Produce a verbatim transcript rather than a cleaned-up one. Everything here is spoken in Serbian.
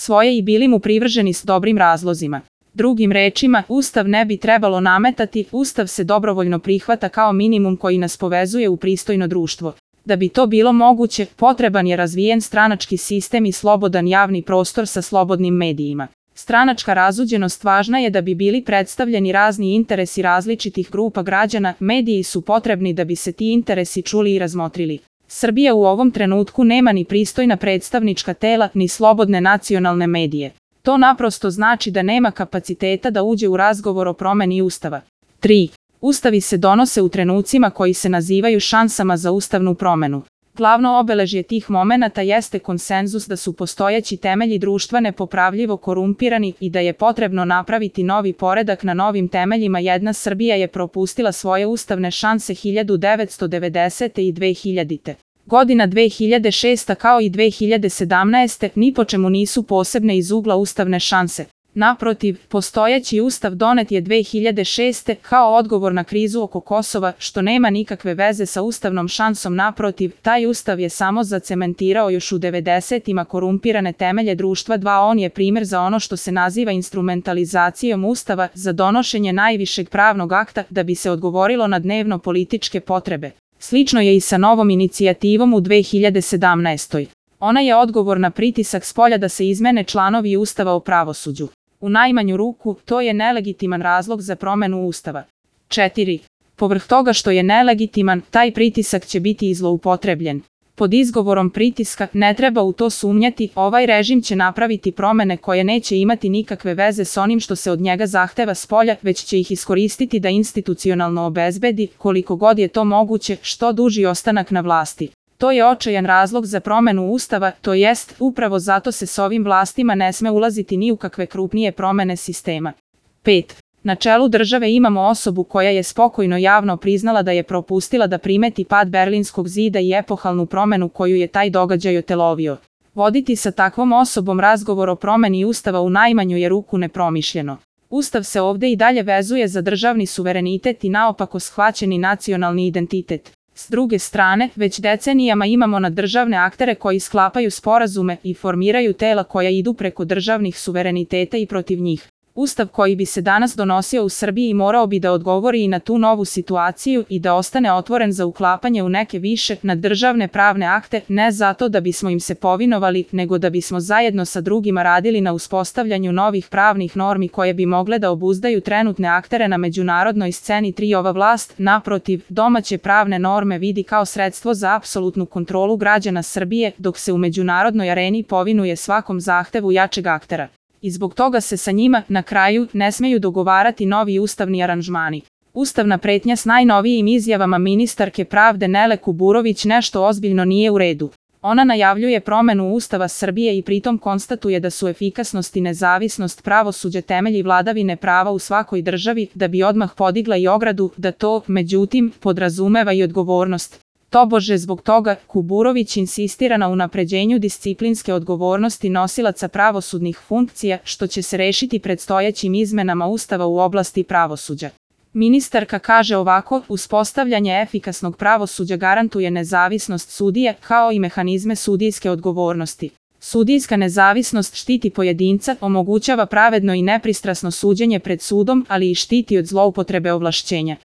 svoje i bili mu privrženi s dobrim razlozima. Drugim rečima, Ustav ne bi trebalo nametati, Ustav se dobrovoljno prihvata kao minimum koji nas povezuje u pristojno društvo. Da bi to bilo moguće, potreban je razvijen stranački sistem i slobodan javni prostor sa slobodnim medijima. Stranačka razuđenost važna je da bi bili predstavljeni razni interesi različitih grupa građana, mediji su potrebni da bi se ti interesi čuli i razmotrili. Srbija u ovom trenutku nema ni pristojna predstavnička tela, ni slobodne nacionalne medije. To naprosto znači da nema kapaciteta da uđe u razgovor o promeni Ustava. tri. Ustavi se donose u trenucima koji se nazivaju šansama za ustavnu promenu. Glavno obeležje tih momenata jeste konsenzus da su postojeći temelji društva nepopravljivo korumpirani i da je potrebno napraviti novi poredak na novim temeljima. Jedna Srbija je propustila svoje ustavne šanse hiljadu devetsto devedesete i dve hiljadite. Godina dve hiljade šesta kao i dve hiljade sedamnaeste ni po čemu nisu posebne iz ugla ustavne šanse. Naprotiv, postojeći ustav donet je dve hiljade šeste kao odgovor na krizu oko Kosova, što nema nikakve veze sa ustavnom šansom. Naprotiv, taj ustav je samo zacementirao još u devedesetima korumpirane temelje društva. dva On je primjer za ono što se naziva instrumentalizacijom ustava za donošenje najvišeg pravnog akta da bi se odgovorilo na dnevno političke potrebe. Slično je i sa novom inicijativom u dve hiljade sedamnaestoj. Ona je odgovor na pritisak spolja da se izmene članovi Ustava o pravosuđu. U najmanju ruku, to je nelegitiman razlog za promenu Ustava. četiri. Povrh toga što je nelegitiman, taj pritisak će biti i zloupotrebljen. Pod izgovorom pritiska, ne treba u to sumnjati, ovaj režim će napraviti promene koje neće imati nikakve veze s onim što se od njega zahteva spolja, već će ih iskoristiti da institucionalno obezbedi, koliko god je to moguće, što duži ostanak na vlasti. To je očajan razlog za promenu Ustava, to jest, upravo zato se s ovim vlastima ne sme ulaziti ni u kakve krupnije promene sistema. pet. Na čelu države imamo osobu koja je spokojno javno priznala da je propustila da primeti pad Berlinskog zida i epohalnu promenu koju je taj događaj otelovio. Voditi sa takvom osobom razgovor o promeni Ustava u najmanju je ruku nepromišljeno. Ustav se ovde i dalje vezuje za državni suverenitet i naopako shvaćeni nacionalni identitet. S druge strane, već decenijama imamo na državne aktere koji sklapaju sporazume i formiraju tela koja idu preko državnih suvereniteta i protiv njih. Ustav koji bi se danas donosio u Srbiji morao bi da odgovori i na tu novu situaciju i da ostane otvoren za uklapanje u neke više naddržavne pravne akte, ne zato da bismo im se povinovali, nego da bismo zajedno sa drugima radili na uspostavljanju novih pravnih normi koje bi mogle da obuzdaju trenutne aktere na međunarodnoj sceni. tri Ova vlast, naprotiv, domaće pravne norme vidi kao sredstvo za apsolutnu kontrolu građana Srbije, dok se u međunarodnoj areni povinuje svakom zahtevu jačeg aktera. I zbog toga se sa njima, na kraju, ne smeju dogovarati novi ustavni aranžmani. Ustavna pretnja s najnovijim izjavama ministarke pravde Nele Kuburović nešto ozbiljno nije u redu. Ona najavljuje promenu Ustava Srbije i pritom konstatuje da su efikasnost i nezavisnost pravosuđa temelji vladavine prava u svakoj državi, da bi odmah podigla i ogradu da to, međutim, podrazumeva i odgovornost. Tobože zbog toga, Kuburović insistira na unapređenju disciplinske odgovornosti nosilaca pravosudnih funkcija, što će se rešiti predstojećim izmenama Ustava u oblasti pravosuđa. Ministarka kaže ovako, uspostavljanje efikasnog pravosuđa garantuje nezavisnost sudije, kao i mehanizme sudijske odgovornosti. Sudijska nezavisnost štiti pojedinca, omogućava pravedno i nepristrasno suđenje pred sudom, ali i štiti od zloupotrebe ovlašćenja.